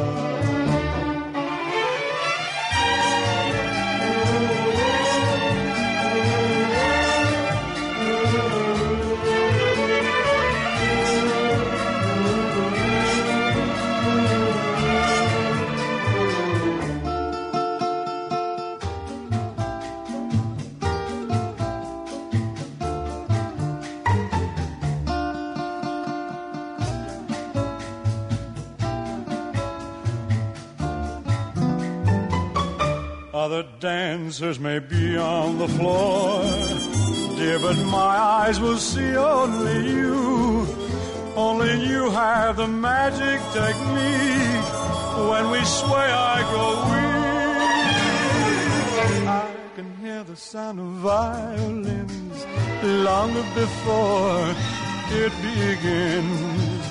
Other dancers may be on the floor, dear, but my eyes will see only you. Only you have the magic technique. When we sway, I grow weak. I can hear the sound of violins long before it begins.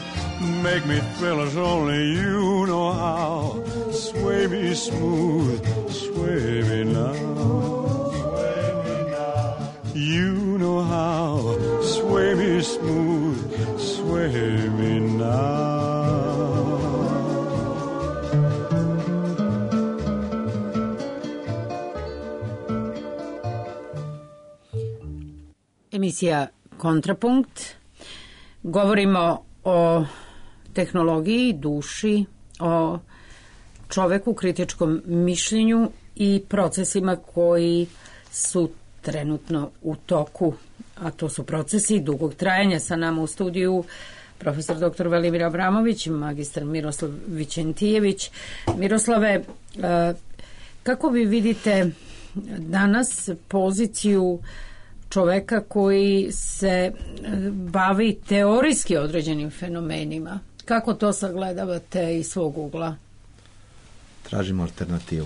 Make me thrill as only you know how. Sway me smooth, sway me now. Sway me now. You know how. Sway me smooth, sway me now. Emisija Kontrapunkt. Govorimo o tehnologiji, duši, o čoveku, kritičkom mišljenju i procesima koji su trenutno u toku, a to su procesi dugog trajanja. Sa nama u studiju profesor dr. Velimir Abramović, magistar Miroslav Vićentijević. Miroslave, kako vi vidite danas poziciju čoveka koji se bavi teorijski određenim fenomenima? Kako to sagledavate iz svog ugla? Tražimo alternativu.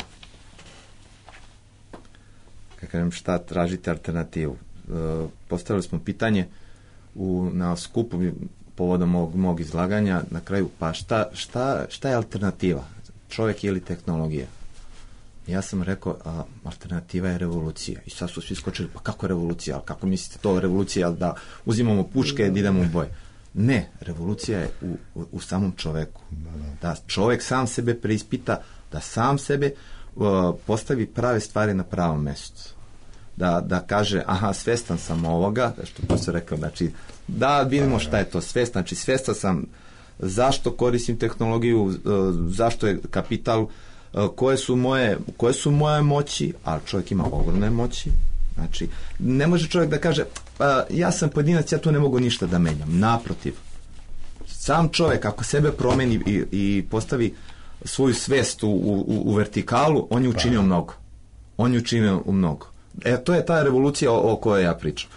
kad kažem šta tražite alternativu. Postavili smo pitanje na skupu povodom mog izlaganja na kraju, pa šta je alternativa? Čovjek ili tehnologija? Ja sam rekao, alternativa je revolucija. I sad su svi skočili, pa kako je revolucija? Kako mislite to revolucija, da uzimamo puške i idemo u boj? Ne, revolucija je u samom čoveku. Da čovjek sam sebe preispita, da sam sebe postavi prave stvari na pravom mjestu. Da kaže, svestan sam ovoga, što profesor rekao, znači, da vidimo šta je to svestan, znači svestan sam zašto koristim tehnologiju, zašto je kapital, koje su moje moći, a čovjek ima ogromne moći. Znači, ne može čovjek da kaže, ja sam pojedinac, ja tu ne mogu ništa da menjam. Naprotiv, sam čovjek ako sebe promeni i postavi svoju svest u vertikalu, on je učinio mnogo. On je učinio mnogo. To je ta revolucija o kojoj ja pričam.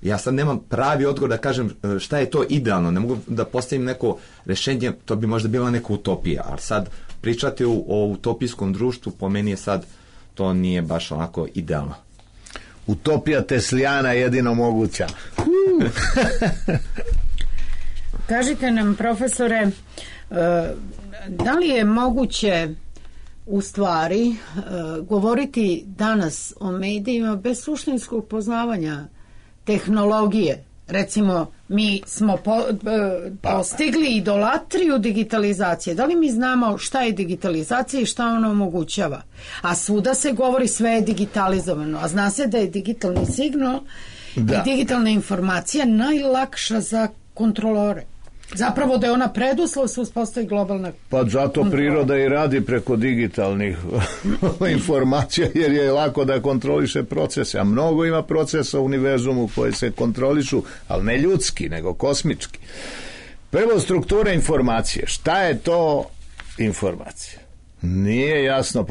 Ja sad nemam pravi odgovor da kažem šta je to idealno, ne mogu da postavim neko rešenje, to bi možda bila neka utopija, ali sad pričati o utopijskom društvu, po meni je sad, to nije baš onako idealno. Utopija Teslijana je jedino moguća. Kažite nam, profesore, da li je moguće u stvari govoriti danas o medijima bez suštinskog poznavanja tehnologije? Recimo, mi smo postigli idolatriju digitalizacije. Da li mi znamo šta je digitalizacija i šta ona omogućava? A svuda se govori sve je digitalizovano. A zna se da je digitalni signal i digitalna informacija najlakša za kontrolore. Zapravo da je ona preduslov se uspostavi globalna pa zato kontrola. Priroda i radi preko digitalnih informacija, jer je lako da kontroliše procese, a mnogo ima procesa u univerzumu koji se kontrolišu, ali ne ljudski, nego kosmički. Prvo, struktura informacije. Šta je to informacija? Nije jasno,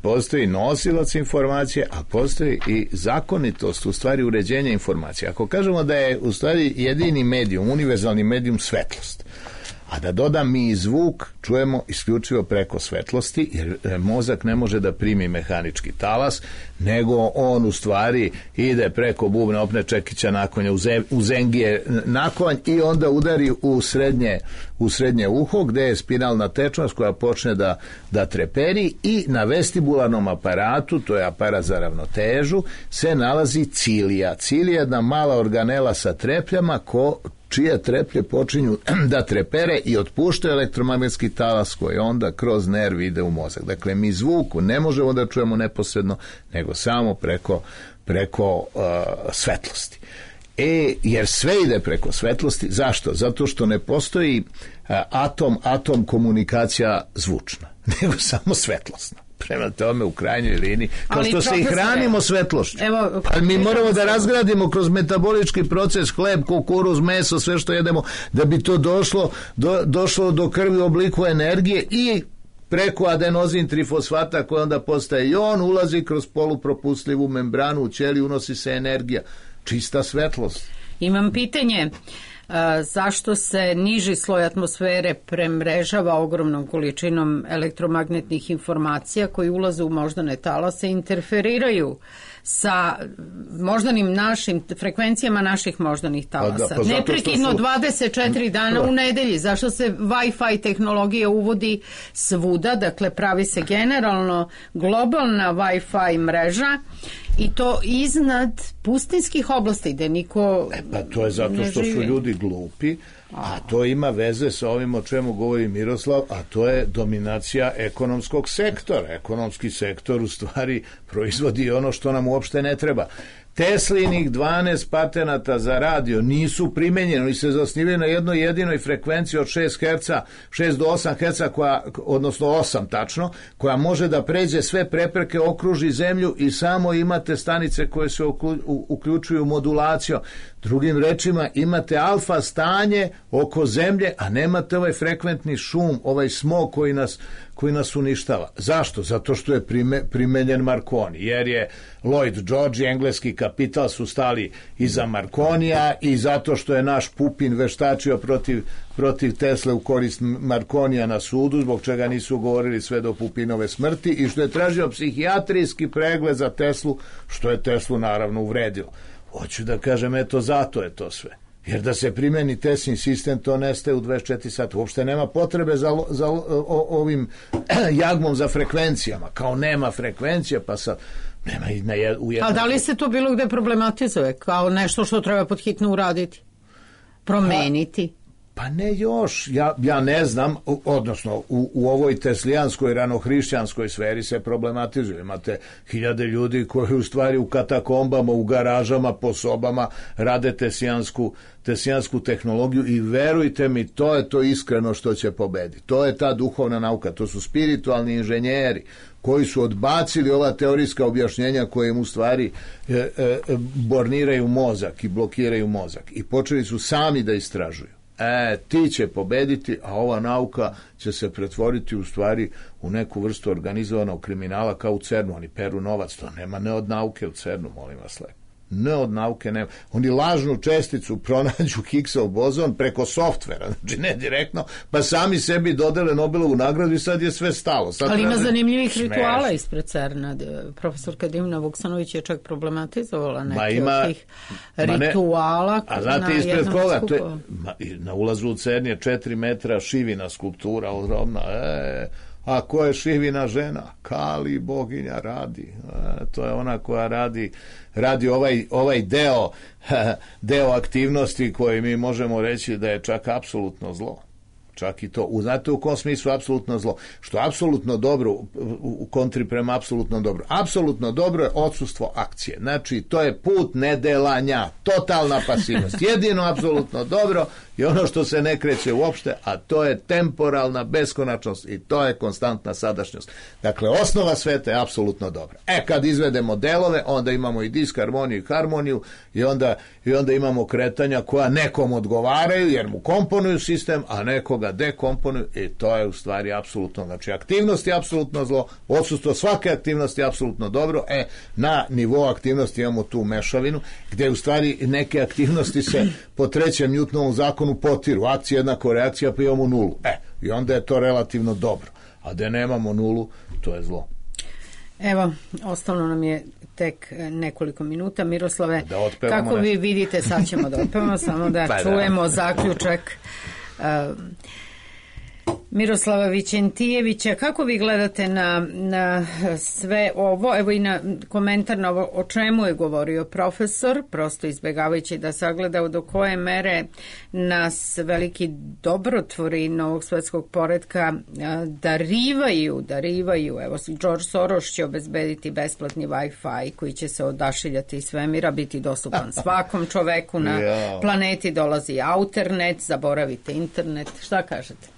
postoji nosilac informacije, a postoji i zakonitost, u stvari uređenja informacije. Ako kažemo da je u stvari jedini medijum, univerzalni medijum svetlost, a da dodam mi i zvuk, čujemo isključivo preko svetlosti, jer mozak ne može da primi mehanički talas, nego on u stvari ide preko bubna, opne čekića nakonja, u zengije nakonj i onda udari u srednje uho, gde je spinalna tečnost koja počne da treperi, i na vestibularnom aparatu, to je aparat za ravnotežu, se nalazi cilija. Cilija je jedna mala organela sa trepljama čije treplje počinju da trepere i otpuštaju elektromagnetski talas koji onda kroz nerv ide u mozak. Dakle, mi zvuku ne možemo da čujemo neposredno, nego samo preko svetlosti. Jer sve ide preko svetlosti. Zašto? Zato što ne postoji atom komunikacija zvučna, nego samo svetlosna. Prema tome, u krajnjoj liniji, kao što se i hranimo svetlošću. Ali mi moramo da razgradimo kroz metabolički proces hleb, kukuruz, meso, sve što jedemo, da bi to došlo do krvi u obliku energije i preko adenozin trifosfata koji onda postaje jon, ulazi kroz polupropustljivu membranu u ćeliju, unosi se energija. Čista svetlost. Imam pitanje. Zašto se niži sloj atmosfere premrežava ogromnom količinom elektromagnetnih informacija koji ulaze u moždane talase i interferiraju sa moždanim našim frekvencijama naših moždanih talasa. Neprekidno 24 dana u nedelji. Zašto se Wi-Fi tehnologija uvodi svuda, dakle pravi se generalno globalna Wi-Fi mreža i to iznad pustinskih oblasti gde niko to je zato što su ljudi glupi, a to ima veze sa ovim o čemu govori Miroslav, a to je dominacija ekonomskog sektora. Ekonomski sektor u stvari proizvodi ono što nam uopšte ne treba. Teslinih 12 patenata za radio nisu primenjeni, oni se zasnivaju na jednoj jedinoj frekvenciji od 6 do 8 Hz, odnosno 8 tačno, koja može da pređe sve prepreke, okruži zemlju i samo imate stanice koje se uključuju modulacijom. Drugim rečima, imate alfa stanje oko zemlje, a nemate ovaj frekventni šum, ovaj smog koji nas uništava. Zašto? Zato što je primenjen Marconi, jer je Lloyd George i engleski kapital su stali iza Marconija i zato što je naš Pupin veštačio protiv Tesle u korist Marconija na sudu, zbog čega nisu govorili sve do Pupinove smrti, i što je tražio psihijatrijski pregled za Teslu, što je Teslu naravno uvredilo. Hoću da kažem, eto, zato je to sve. Jer da se primeni Teslin sistem, to nestaje u 24 sata. Uopšte nema potrebe za ovim jagmom za frekvencijama. Kao nema frekvencija, pa sad nema i u jednom... A da li se to bilo gde problematizuje? Kao nešto što treba pod hitno uraditi? Promeniti? Pa ne još, ja ne znam, odnosno u ovoj teslijanskoj ranohrišćanskoj sferi se problematizuje. Imate hiljade ljudi koji u stvari u katakombama, u garažama, po sobama rade tesijansku tehnologiju i verujte mi, to je to iskreno što će pobediti. To je ta duhovna nauka, to su spiritualni inženjeri koji su odbacili ova teorijska objašnjenja koje im u stvari borniraju mozak i blokiraju mozak i počeli su sami da istražuju. Ti će pobediti, a ova nauka će se pretvoriti u stvari u neku vrstu organizovanog kriminala kao u CERN-u. Oni peru novac, to nema ne od nauke u CERN-u, molim vas lepo. Ne od nauke nema. Oni lažnu česticu pronađu Higgsov bozon preko softvera, znači ne direktno, pa sami sebi dodele Nobelovu nagradu i sad je sve stalo. Sad ali ima zanimljivih rituala ispred CERN-a. Profesorka Dimna Vuksanović je čak problematizovala neke od tih rituala. A znate ispred koga? Na ulazu u CERN je 4 metra šivina skulptura ogromna. A ko je šivina žena? Kali boginja radi. To je ona koja radi ovaj deo aktivnosti koji mi možemo reći da je čak apsolutno zlo. Čak i to. Znate u kom smislu apsolutno zlo? Što je apsolutno dobro u kontri prema apsolutno dobro. Apsolutno dobro je odsustvo akcije. Znači, to je put nedelanja. Totalna pasivnost. Jedino apsolutno dobro je ono što se ne kreće uopšte, a to je temporalna beskonačnost i to je konstantna sadašnjost. Dakle, osnova sveta je apsolutno dobra. Kad izvedemo delove, onda imamo i disharmoniju i harmoniju i onda imamo kretanja koja nekom odgovaraju jer mu komponuju sistem, a nekoga dekomponuju i to je u stvari apsolutno. Znači, aktivnost je apsolutno zlo, odsustvo svake aktivnosti je apsolutno dobro. Na nivou aktivnosti imamo tu mešavinu, gde u stvari neke aktivnosti se po trećem Newtonovom zakonu potiru. Akcija jednako reakcija, pa imamo nulu. I onda je to relativno dobro. A da nemamo nulu, to je zlo. Evo, ostalo nam je tek nekoliko minuta. Miroslave, kako vi vidite, sad ćemo da otpevamo, samo da čujemo zaključak Miroslava Vićentijevića. Kako vi gledate na sve ovo, evo i na komentar na ovo o čemu je govorio profesor, prosto izbjegavajući da sagleda do koje mere nas veliki dobrotvori novog svetskog poretka darivaju. Evo, George Soros će obezbediti besplatni Wi-Fi koji će se odašiljati iz svemira, biti dostupan svakom čoveku na planeti, dolazi Outernet, zaboravite internet. Šta kažete?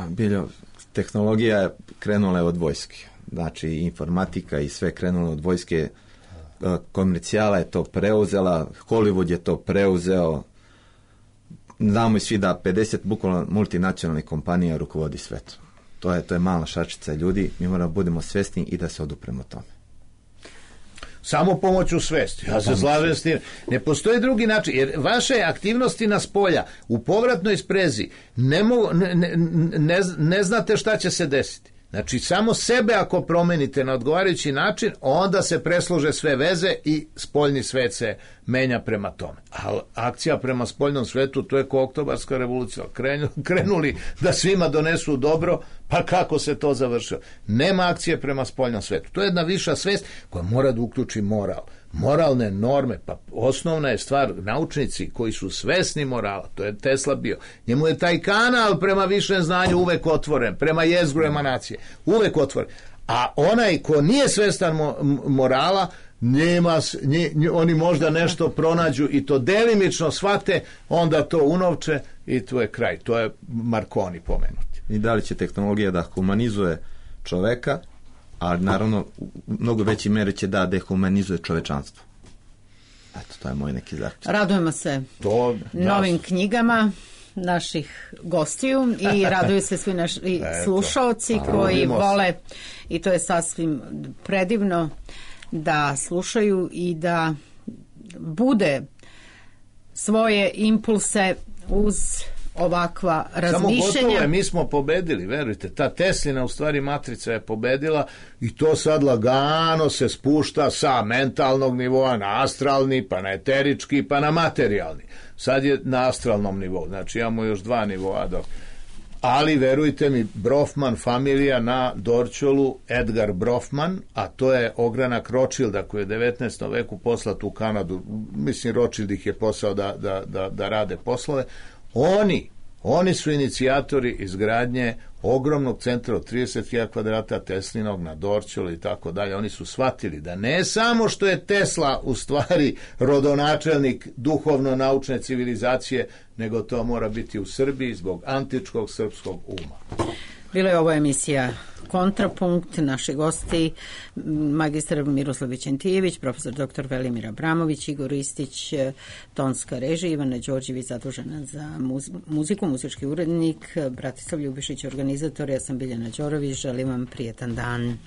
Biljo, tehnologija je krenula od vojske. Znači, informatika i sve krenulo od vojske. Komercijala je to preuzela, Hollywood je to preuzeo. Znamo i svi da 50 bukvalno multinacionalnih kompanija rukovodi svetom. To je mala šačica ljudi. Mi moramo budemo svesni i da se odupremo tome. Samo pomoću svesti. Ja se slažem s tim. Ne postoji drugi način, jer vaše aktivnosti na spolja u povratnoj sprezi ne znate šta će se desiti. Znači, samo sebe ako promenite na odgovarajući način, onda se preslože sve veze i spoljni svet se menja prema tome. A akcija prema spoljnom svetu, to je ko Oktobarska revolucija. Krenuli da svima donesu dobro, pa kako se to završilo? Nema akcije prema spoljnom svetu. To je jedna viša svest koja mora da uključi moral. Moralne norme, pa osnovna je stvar, naučnici koji su svesni morala, to je Tesla bio, njemu je taj kanal prema višem znanju uvek otvoren, prema jezgru emanacije, uvek otvoren. A onaj ko nije svestan morala, oni možda nešto pronađu i to delimično shvate, onda to unovče i to je kraj. To je Marconi pomenuti. I da li će tehnologija da humanizuje čoveka, a naravno u mnogo veći meri će da dehumanizuje čovečanstvo. Eto, to je moj neki zaključak. Radujemo se novim knjigama naših gostiju i raduju se svi naši slušaoci koji vole, i to je sasvim predivno, da slušaju i da bude svoje impulse uz ovakva razmišljenja. Samo gotovo je, mi smo pobedili, verujte, ta Teslina u stvari matrica je pobedila i to sad lagano se spušta sa mentalnog nivoa na astralni, pa na eterički, pa na materijalni. Sad je na astralnom nivou, znači imamo još 2 nivoa dok. Ali verujte mi, Brofman familija na Dorćolu, Edgar Brofman, a to je ogranak Rothschilda koji je 19. veku poslat u Kanadu, mislim Rothschild ih je poslao da rade poslove. Oni su inicijatori izgradnje ogromnog centra od 30.000 kvadrata Teslinog na Dorćolu i tako dalje. Oni su shvatili da ne samo što je Tesla u stvari rodonačelnik duhovno-naučne civilizacije, nego to mora biti u Srbiji zbog antičkog srpskog uma. Bila je ovo emisija Kontrapunkt, naši gosti magistar Miroslav Vićentijević, profesor dr. Velimir Abramović, Igor Ristić, tonska režija, Ivana Đorđević zadužena za muziku, muzički urednik, Bratislav Ljubišić organizator, ja sam Biljana Đorović, želim vam prijetan dan.